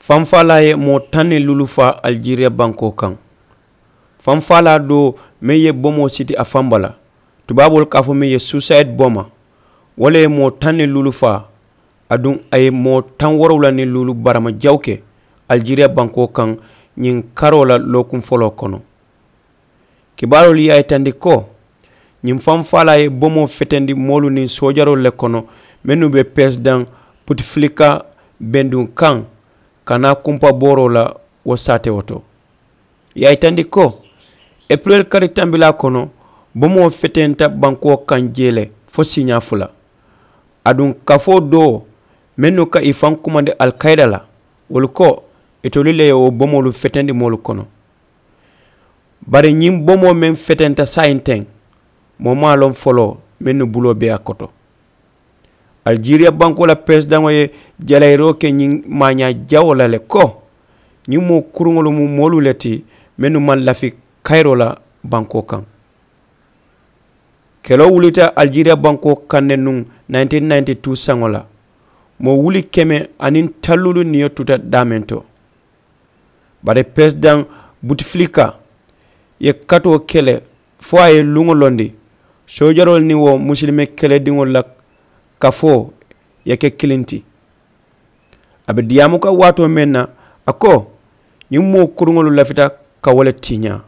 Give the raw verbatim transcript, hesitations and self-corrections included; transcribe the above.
Fanfaalaa ye moo taŋ niŋ luulu faa alijeriya bankoo kaŋ. Fanfaalaa doo meŋ ye bomoo siti a faŋ bala, tubaaboolu ka a fo meŋ ye suusayidi boma, wo le ye moo taŋ niŋ luulu faa. Aduŋ a ye moo taŋ woorowula niŋ luulu barama jawu ke alijeriya bankoo kaŋ ñiŋ karoo la lookuŋ foloo kono. Kibaaroolu ye a yitandi ko ñiŋ fanfaalaa ye bomoo fetendi moolu niŋ soojaroolu le kono mennu be peresidaŋ putifilika benduŋ kaŋ, ka naa kumpabooroo la wo saatewo to. Ì ye a yitandi ko epireli kari tambilaa kono bomoo fetenta bankoo kaŋ jee le fo siiñaa fula. Aduŋ kafoo doo mennu ka ì faŋ kumandi alikayida la, wolu ko itolu le ye wo bomoolu fetendi moolu kono. Bari ñiŋ bomoo meŋ fetenta saayiŋ teŋ, moo maŋ a loŋ foloo mennu buloo be a koto. Alijeriya bankoo la peresidaŋo ye jalayiroo ke ñiŋ maañaa jawoo la le ko ñiŋ moo kuruŋolu mu moolu le ti mennu maŋ lafi kayiroo la bankoo kaŋ. Keloo wulita alijeriya bankoo kaŋ ne nuŋ nineteen ninety-two saŋo la, moo wuli keme aniŋ talluulu niyo tuta daameŋ to. Bari peresidaŋ butifilika ye katoo ke le fo a ye luŋo londi soojaroolu niŋ wo musilime kelediŋolu la kafoo ye ke kiliŋ ti. A be diyaamu kaŋ waatoo meŋ na, a ko ñiŋ moo kuruŋolu lafita ka wo le tiiñaa.